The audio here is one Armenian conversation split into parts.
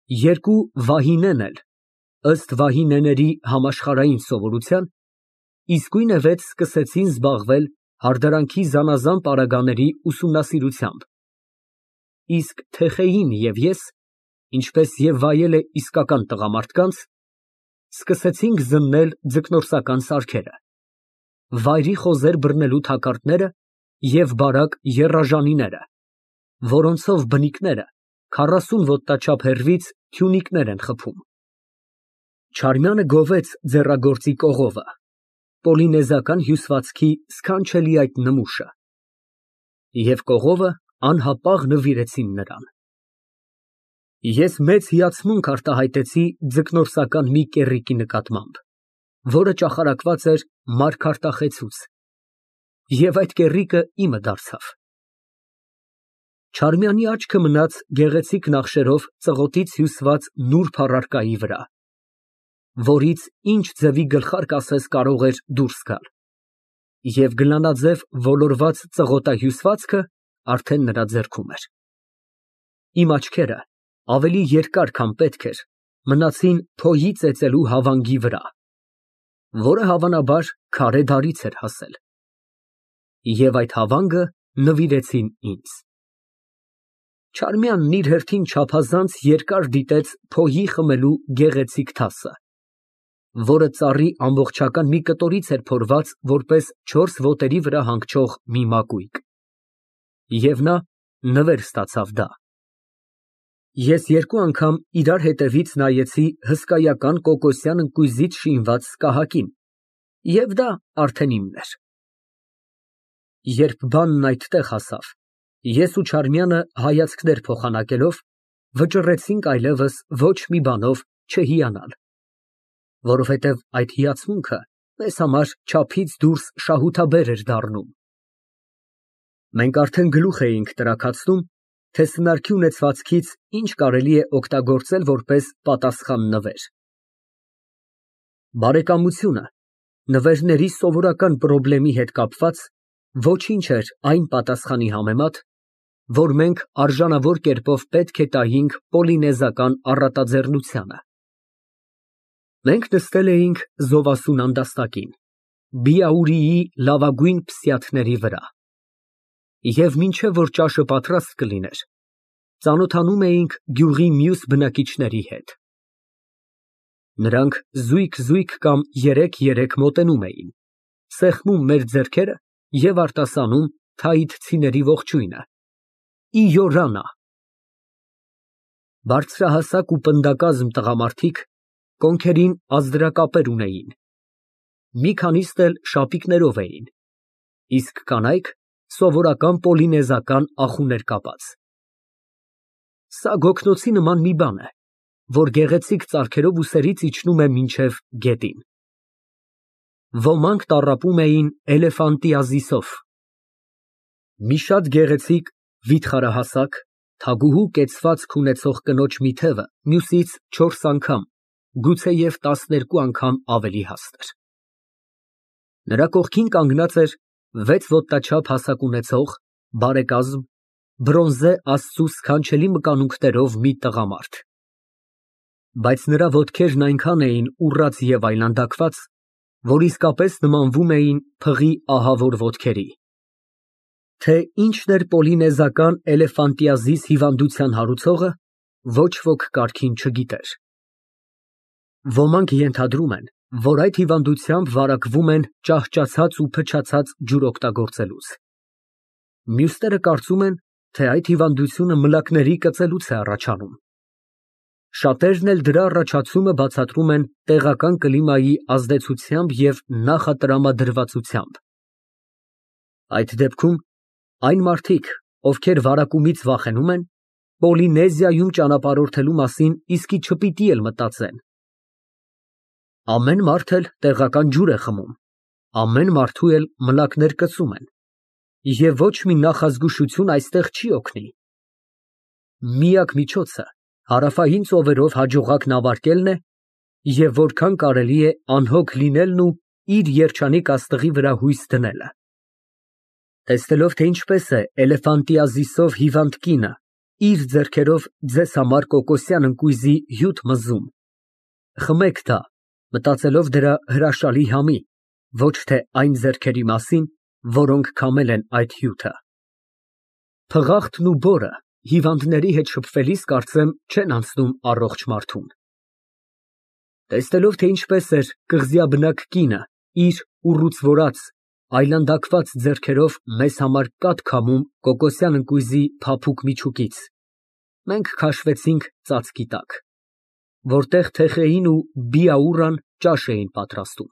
Երկու վահինեն էլ, ըստ վահինեների համաշխարհային սովորության, իսկույնևեթ սկսեցին զբաղվել հարդարանքի զանազան պարագաների ուսումնասիրությամբ, իսկ Թեխեյին և ես, ինչպես և վայել է իսկական տղամարդկանց, սկսեցինք զննել ձկնորսական սարքերը, վայրի խոզեր բռնելու թակարդները և բարակ եռաժանիները, որոնցով բնիկները 40 ոտնաչափ հեռվից թյունիկներ են խփում։ Չարմյանը գովեց ձեռագործի կողովը, պոլինեզիական հյուսվածքի սքանչելի այդ նմուշը, և կողովը անհապաղ նվիրեցին նրան։ Ես մեծ հիացմունք արտահայտեցի ձկնորսական մի կեռիկի նկատմամբ, որը ճախարակված էր մարգարտախեցուց, և այդ կեռիկը իմը դարձավ։ Չարմյանի աչքը մնաց գեղեցիկ նախշերով ծղոտից հյուսված նուրբ առարկայի վրա, որից ինչ ձևի գլխարկ ասես կարող էր դուրս գալ, և գլանաձև ոլորված ծղոտահյուսվածքը արդեն նրա ձեռքում էր։ Իմ աչքերը, ավելի երկար, քան պետք էր, մնացին փոյի ծեծելու հավանգի վրա, որը հավանաբար քարե դարից էր հասել, և այդ հավանգը նվիրեցին ինձ։ Չարմյանն իր հերթին չափազանց երկար դիտեց փոյի խմելու գեղեցիկ թասը, որը ծառի ամբողջական մի կտորից էր փորված որպես 4 ոտերի վրա հանգչող մի մակույկ, և նա նվեր ստացավ դա։ Ես երկու անգամ իրար հետևից նայեցի հսկայական կոկոսյան ընկույզից շինված սկահակին, և դա արդեն իմն էր։ Երբ բանն այդտեղ հասավ, ես ու Չարմյանը հայացքներ փոխանակելով, վճռեցինք այլևս ոչ մի բանով չհիանալ, որովհետև այդ հիացմունքը մեզ համար չափից դուրս շահութաբեր էր դառնում։ Մենք արդեն գլուխ էինք տրաքացնում, թե սնանկի ունեցվածքից ինչ կարելի է օգտագործել որպես պատասխան նվեր։ Բարեկամությունը նվերների սովորական պրոբլեմի հետ կապված ոչինչ էր այն պատասխանի համեմատ, որ մենք արժանավոր կերպով պետք է տայինք պոլինեզիական առատաձեռնությանը։ Մենք նստել էինք զովասուն անդաստակին, Բիաուրիի լավագույն փսիաթների վրա, և մինչև որ ճաշը պատրաստ կլիներ, ծանոթանում էինք գյուղի մյուս բնակիչների հետ։ Նրանք զույգ կամ 3 մոտենում էին, սեղմում մեր ձեռքերը և արտասանում թայիթցիների ողջույնը։ Իորանա։ Բարձրահասակ ու պնդակազմ տղամարդիկ կոնքերին ազդրակապեր ունեին, մի քանիստ էլ շապիկներով էին, իսկ կանայք սովորական պոլինեզիական ախուներ կապած։ Սա գոգնոցի նման մի բան է, որ գեղեցիկ ծարքերով ուսերից իջնում է մինչև գետին։ Ոմանք տառապում էին էլեֆանտիազիսով։ Մի շատ գեղեցիկ, վիթխարահասակ, թագուհու կեցվածք ունեցող կնոջ մի թևը մյուսից 4 անգամ, գուցեև 12 անգամ ավելի հաստ էր։ Նրա կողքին կանգնած էր 6 ոտնաչափ հասակ ունեցող, բարեկազմ, բրոնզե աստծու սքանչելի մկանունքներով մի տղամարդ, բայց նրա ոտքերն այնքան էին ուռած և այլանդակված, որ իսկապես նմանվում էին փղի ահավոր ոտքերի։ Թե ինչն էր պոլինեզիական էլեֆանտիազիս հիվանդության հարուցողը, ոչ ոք կարգին չգիտեր։ Ոմանք ենթադրում են, որ այդ հիվանդությամբ վարակվում են ճահճացած ու փչացած ջուր օգտագործելուց։ Մյուսները կարծում են, թե այդ հիվանդությունը մլակների կծելուց է առաջանում։ Շատերն էլ դրա առաջացումը բացատրում են տեղական կլիմայի ազդեցությամբ և նախատրամադրվածությամբ։ Այդ դեպքում այն մարդիկ, ովքեր վարակումից վախենում են, Պոլինեզիայում ճանապարհորդելու մասին իսկի չպիտի էլ մտածեն։ Ամեն մարդ էլ տեղական ջուր է խմում, ամեն մարդու էլ մլակներ կծում են, և ոչ մի նախազգուշություն այստեղ չի օգնի։ Միակ միջոցը հարավային ծովերով հաջողակ նավարկելն է և որքան կարելի է անհոգ լինելն ու իր երջանիկ աստղի վրա հույս դնելը։ Տեսնելով, թե ինչպես է էլեֆանտիազիսով հիվանդ կինը իր ձեռքերով ձեզ համար կոկոսյան ընկույզի հյութ մզում։ Խմեք դա, մտածելով դրա հրաշալի համի, ոչ թե այն ձեռքերի մասին, որոնք քամել են այդ հյութը։ Փղախտն ու բորը հիվանդների հետ շփվելիս կարծեմ չեն անցնում առողջ մարդուն։ Տեսնելով, թե ինչպես էր կղզիաբնակ կինը իր ուռուցվորած, այլանդակված ձեռքերով մեզ համար կաթ քամում կոկոսյան ընկույզի փափուկ միջուկից, մենք քաշվեցինք ծածկի տակ, որտեղ Թեխեին ու Բիաուրան ճաշ էին պատրաստում։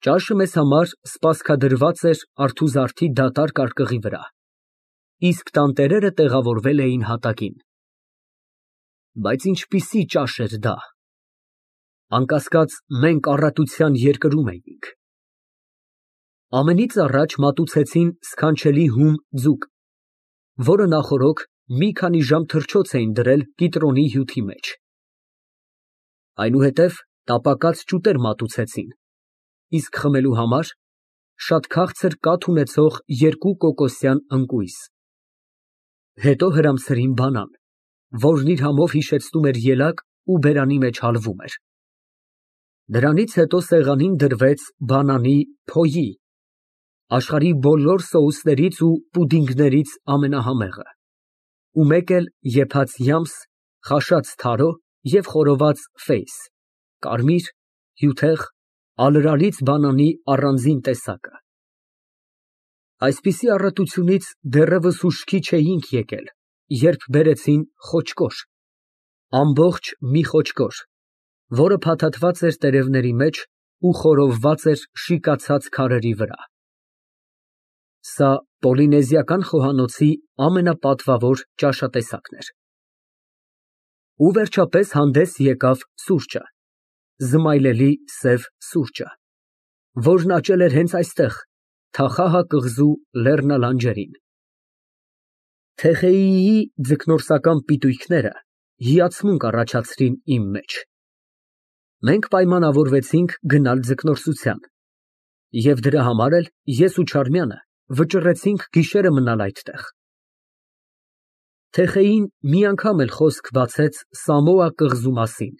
Ճաշը մեզ համար սպասքադրված էր արթուզարդի դատարկ արկղի վրա, իսկ տանտերերը տեղավորվել էին հատակին։ Բայց ինչպիսի ճաշ էր դա։ Անկասկած, մենք առատության երկրում էինք։ Ամենից առաջ մատուցեցին սքանչելի հում ձուկ, որը նախօրոք մի քանի ժամ թռչոց էին դրել կիտրոնի հյութի մեջ։ Այնուհետև տապակած ճուտեր մատուցեցին, իսկ խմելու համար շատ քաղցր կաթ ունեցող երկու կոկոսյան ընկույզ։ Հետո հրամցրին բանան, որն իր համով հիշեցնում էր ելակ ու բերանի մեջ հալվում էր։ Դրանից հետո սեղանին դրվեց բանանի փոյի, աշխարհի բոլոր սոուսներից ու պուդինգներից ամենահամեղը, ու մեկ էլ եփած յամս, խաշած թարո և խորոված ֆեյս, կարմիր, հյութեղ, ալրալից բանանի առանձին տեսակը։ Այսպիսի առատությունից դեռևս ուշքի չէինք եկել, երբ բերեցին խոճկոր, ամբողջ մի խոճկոր, որը փաթաթված էր տերևների մեջ ու խորովված էր շիկացած քարերի վրա։ Սա պոլինեզիական խոհանոցի ամենապատվավոր ճաշատեսակն էր։ Ու վերջապես հանդես եկավ սուրճը, զմայլելի սև սուրճը, որն աճել էր հենց այստեղ, Թախահա կղզու լեռնալանջերին։ Թեխեիի ձկնորսական պիտույքները հիացմունք առաջացրին իմ մեջ։ Մենք պայմանավորվեցինք գնալ ձկնորսության, և դրա համար էլ ես ու Չարմյանը վճռեցինք գիշերը մնալ այդտեղ։ Թեխեին մի անգամ էլ խոսք բացեց Սամոա կղզու մասին,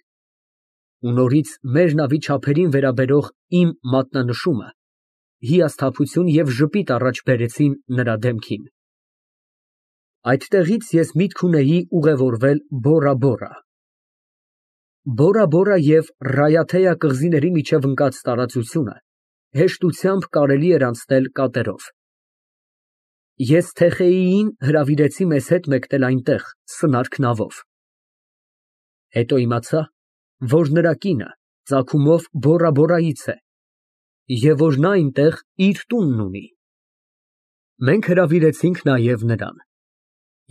ու նորից մեր նավի չափերին վերաբերող իմ մատնանշումը հիասթափություն և ժպիտ առաջ բերեցին նրա դեմքին։ Այդտեղից ես միտք ունեի ուղևորվել Բորա։ Բորա և Ռայաթեյա կղզիների միջև ընկած տարածությունը հեշտությամբ կարելի էր անցնել կատերով։ Ես Թեխեիին հրավիրեցի մեզ հետ մեկնել այնտեղ սնարք նավով։ Հետո իմացա, որ նրա կինը ծագումով Բորայից է, և որ նա այնտեղ իր տունն ունի։ Մենք հրավիրեցինք նաև նրան,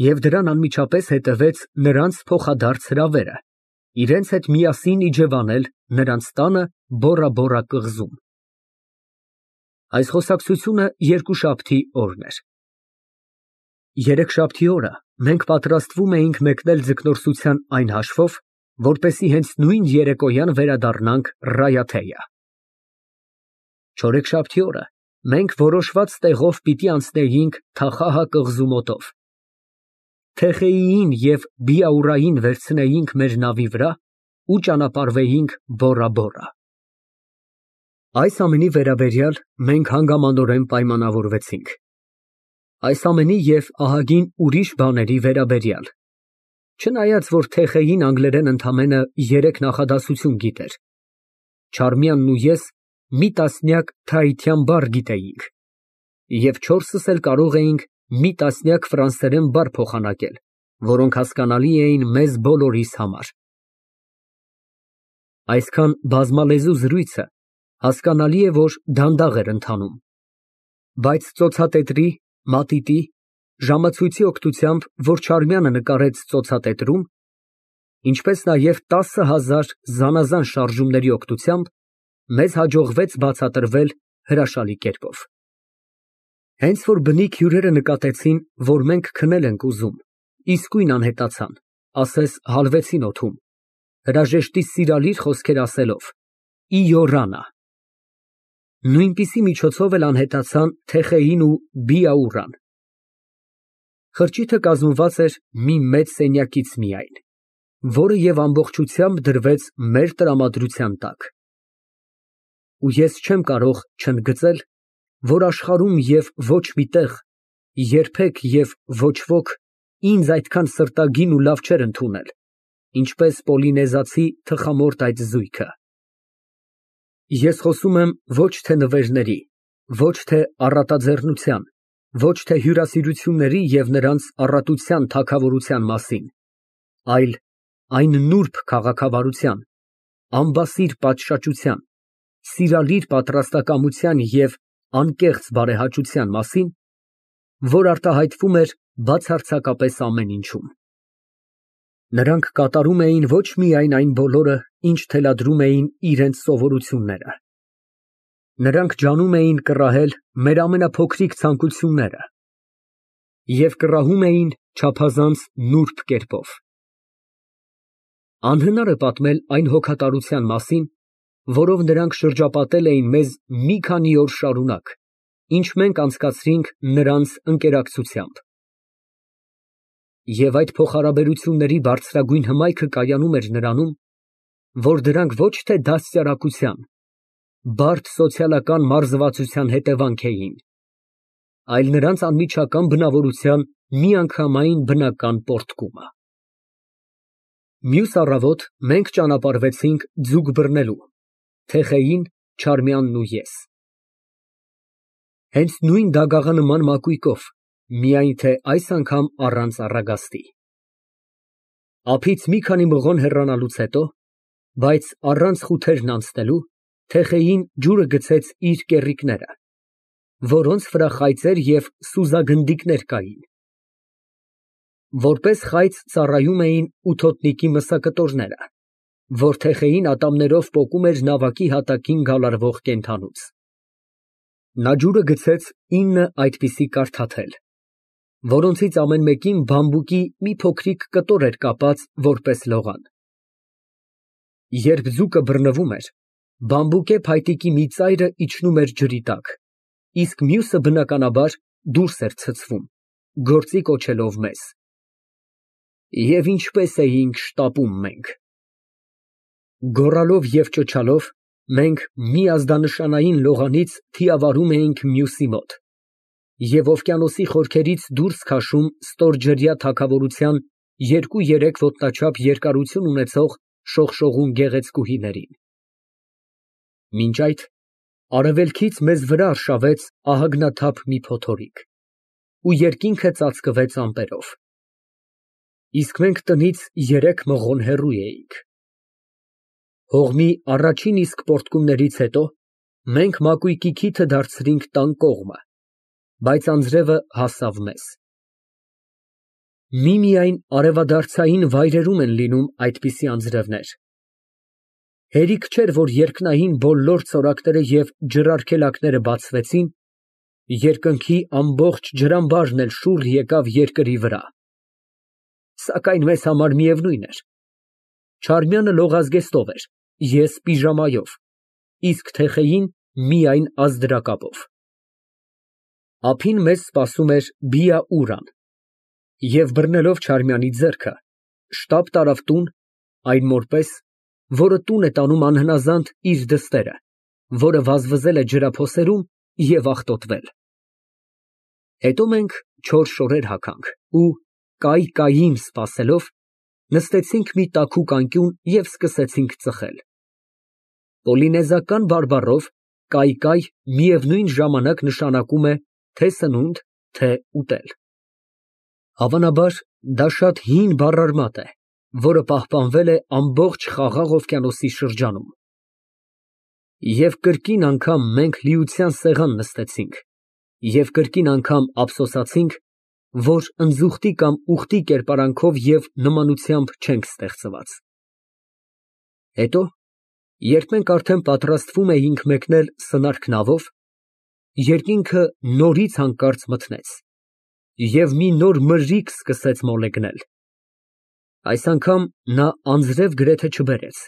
և դրան անմիջապես հետևեց նրանց փոխադարձ հրավերը իրենց հետ միասին իջևանել նրանց տանը Բորա կղզում։ Այս խոսակցությունը երկուշաբթի օրն էր։ Երեքշաբթի օրը մենք պատրաստվում էինք մեկնել ձկնորսության այն հաշվով, որպեսզի հենց նույն երեկոյան վերադառնանք Ռայաթեյա։ Չորեքշաբթի օրը մենք որոշված տեղով պիտի անցնեինք Թախահա կղզու մոտով, Թեխեիին և Բիաուրային վերցնեինք մեր նավի վրա ու ճանապարհվեինք Բորա։ Այս ամենի վերաբերյալ մենք հանգամանորեն պայմանավորվեցինք։ Այս ամենի և ահագին ուրիշ բաների վերաբերյալ, չնայած որ Թեխեին անգլերեն ընդամենը 3 նախադասություն գիտեր, Չարմյանն ու ես մի տասնյակ թրայթյան բառ գիտեինք, և 4-ս էլ կարող էինք մի տասնյակ ֆրանսերեն բառ փոխանակել, որոնք հասկանալի էին մեզ բոլորիս համար։ Այսքան բազմալեզու զրույցը հասկանալի է, որ դանդաղ էր ընթանում, բայց ծոցատետրի, մատիտի, ժամացույցի օգնությամբ, որ Չարմյանը նկարեց ծոցատետրում, ինչպես նաև 10,000 զանազան շարժումների օգնությամբ մեզ հաջողվեց բացատրվել հրաշալի կերպով։ Հենց որ բնիկ հյուրերը նկատեցին, որ մենք քնել ենք ուզում, իսկույն անհետացան, ասես հալվեցին օդում, հրաժեշտի սիրալիր խոսքեր ասելով. «Իո Ռանա»։ Նույնպիսի միջոցով էլ անհետացան Թեխեին ու Բիաուրան։ Խրճիթը կազմված էր մի մեծ սենյակից միայն, որը և ամբողջությամբ դրվեց մեր տրամադրության տակ։ Ու ես չեմ կարող չընդգծել, որ աշխարհում և ոչ մի տեղ, երբեք և ոչ ոք ինձ այդքան սրտագին ու լավ չէր ընդունել, ինչպես պոլինեզացի թխամորտ այդ զույգը։ Ես խոսում եմ ոչ թե նվերների, ոչ թե առատաձեռնության, ոչ թե հյուրասիրությունների և նրանց առատության թագավորության մասին, այլ այն նուրբ քաղաքավարության, անբասիր պատշաճության, սիրալիր պատրաստակամության և անկեղծ բարեհաճության մասին, որ արտահայտվում էր բացարձակապես ամեն ինչում։ Նրանք կատարում էին ոչ միայն այն բոլորը, ինչ թելադրում էին իրենց սովորությունները. նրանք ջանում էին կռահել մեր ամենափոքրիկ ցանկությունները և կռահում էին չափազանց նուրբ կերպով։ Անհնար է պատմել այն հոգատարության մասին, որով նրանք շրջապատել էին մեզ մի քանի օր շարունակ, ինչ մենք անցկացրինք նրանց ընկերակցությամբ։ Եվ այդ փոխհարաբերությունների բարձրագույն հմայքը կայանում էր նրանում, որ դրանք ոչ թե դաստիարակության, բարդ սոցիալական մարզվածության հետևանք էին, այլ նրանց անմիջական բնավորության միանգամայն բնական պոռթկումը։ Մյուս առավոտ մենք ճանապարհվեցինք ձուկ բռնելու, Թեխեյին, Չարմյանն ու ես։ Հենց նույն դագաղանման մակույկով, միայն թե այս անգամ առանց առագաստի։ Ափից մի քանի մղոն հեռանալուց հետո, բայց առանց խութերն անցնելու, Թեխեյին ջուրը գցեց իր կեռիկները, որոնց վրա խայծեր և սուզագնդիկներ կային։ Որպես խայծ ծառայում էին ութոտնիկի մսակտորները, որ Թեխեյին ատամներով պոկում էր նավակի հատակին գալարվող կենդանուց։ Նա ջուրը գցեց 9 այդպիսի կարդաթել, որոնցից ամեն մեկին բամբուկի մի փոքրիկ կտոր էր կապած որպես լողան։ Երբ ձուկը բռնվում էր, բամբուկե փայտիկի մի ծայրը իջնում էր ջրի տակ, իսկ մյուսը, բնականաբար, դուրս էր ցցվում, գործի կոչելով մեզ։ Եվ ինչպես էինք շտապում մենք։ Գոռալով և ճչալով, մենք մի ազդանշանային լողանից թիավարում էինք մյուսի մոտ և օվկիանոսի խորքերից դուրս քաշում ստորջրյա թագավորության 2-3 ոտնաչափ երկարություն ունեցող շողշողուն գեղեցկուհիներին։ Մինչ այդ արևելքից մեզ վրա արշավեց ահագնաթափ մի փոթորիկ ու երկինքը ծածկվեց ամպերով, իսկ մենք տնից 3 մղոն հեռու էինք։ Հողմի առաջին իսկ պոռթկումներից հետո մենք մակույկի քիթը դարձրինք տան կողմը, բայց անձրևը հասավ մեզ։ Միմիայն արևադարձային վայրերում են լինում այդպիսի անձրևներ։ Հերիք չէր, որ երկնային բոլոր ցորակները և ջրարգելակները բացվեցին, երկնքի ամբողջ ջրամբարն էլ շուռ եկավ երկրի վրա։ Սակայն մեզ համար միևնույն էր. Չարմյանը լողազգեստով էր, ես պիժամայով, իսկ Թեխեյին միայն ազդրակապով։ Ափին մեզ սպասում էր Բիա֊Ուրան, և բռնելով Չարմյանի ձեռքը, շտապ տարավ տուն, այն մոր պես, որը տուն է տանում անհնազանդ իր դստերը, որը վազվզել է ջրափոսերում և աղտոտվել։ Հետո մենք 4 շորեր հագանք ու, կայ֊կային սպասելով, նստեցինք մի տաքուկ անկյուն և սկսեցինք ծխել։ Պոլինեզական բարբառով կայ միևնույն ժամանակ նշանակում է թե՛ սնունդ, թե՛ ուտել։ Հավանաբար, դա շատ հին բառարմատ է, որը պահպանվել է ամբողջ Խաղաղ օվկիանոսի շրջանում։ Եվ կրկին անգամ մենք լիության սեղան նստեցինք և կրկին անգամ ափսոսացինք, որ ընձուղտի կամ ուղտի կերպարանքով և նմանությամբ չենք ստեղծված։ Հետո, երբ մենք արդեն պատրաստվում էինք մեկնել սնարք նավով, երկինքը նորից հանկարծ մթնեց, և մի նոր մրրիկ սկսեց մոլեգնել։ Այս անգամ նա անձրև գրեթե չբերեց,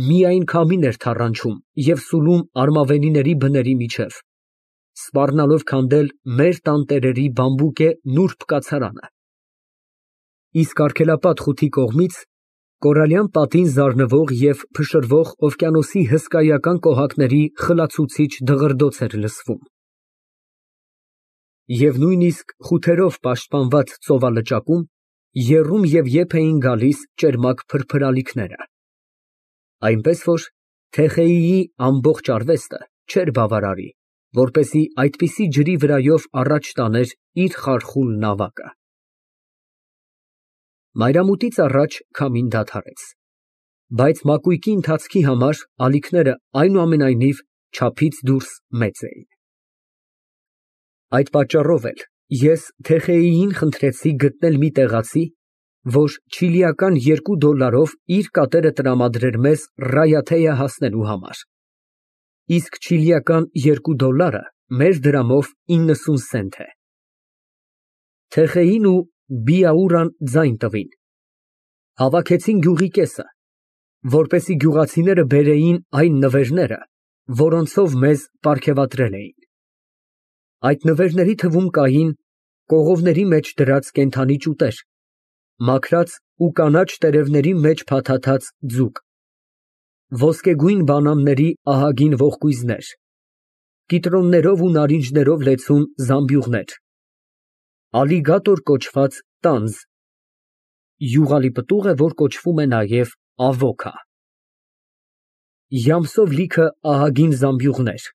միայն քամին էր թառանչում և սուլում արմավենիների բների միջև, սպառնալով քանդել մեր տանտերերի բամբուկե նուրբ կացարանը։ Իսկ արգելապատ խութի կողմից կորալյան պատին զարնվող և փշրվող օվկիանոսի հսկայական կոհակների խլացուցիչ դղրդոց էր լսվում։ Եվ նույնիսկ խութերով պաշտպանված ծովալճակում եռում և եփ էին գալիս ճերմակ փրփրալիքները, այնպես որ Թեխեյիի ամբողջ արվեստը չէր բավարարի, որպեսզի այդպիսի ջրի վրայով առաջ տաներ իր խարխուլ նավակը։ Մայրամուտից առաջ քամին դադարեց, բայց մակույկի ընթացքի համար ալիքները այնուամենայնիվ չափից դուրս մեծ էին։ Այդ պատճառով էլ ես Թեխեյիին խնդրեցի գտնել մի տեղացի, որ չիլիական $2 իր կատերը տրամադրեր մեզ Ռայաթեյը հասնելու համար, իսկ չիլիական $2 մեր դրամով 90 սենտ է։ Թեխեյին ու Բիաուրան ձայն տվին, հավաքեցին գյուղի կեսը, որպեսզի գյուղացիները բերեին այն նվերները, որոնցով մեզ պարգևատրել էին։ Այդ նվերների թվում կային կողովների մեջ դրած կենդանի ճուտեր, մաքրած ու կանաչ տերևների մեջ փաթաթած ձուկ, ոսկեգույն բանանների ահագին ողկույզներ, կիտրոններով ու նարինջներով լեցուն զամբյուղներ, ալիգատոր կոչված տանձ (յուղալի պտուղ է, որ կոչվում է նաև ավոքա), յամսով լիքը ահագին զամբյուղներ,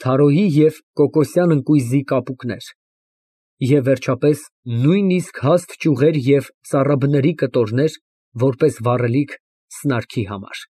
թարոյի և կոկոսյան ընկույզի կապուկներ և, վերջապես, նույնիսկ հաստ ճյուղեր և ծառաբների կտորներ, որպես վառելիք սնարքի համար։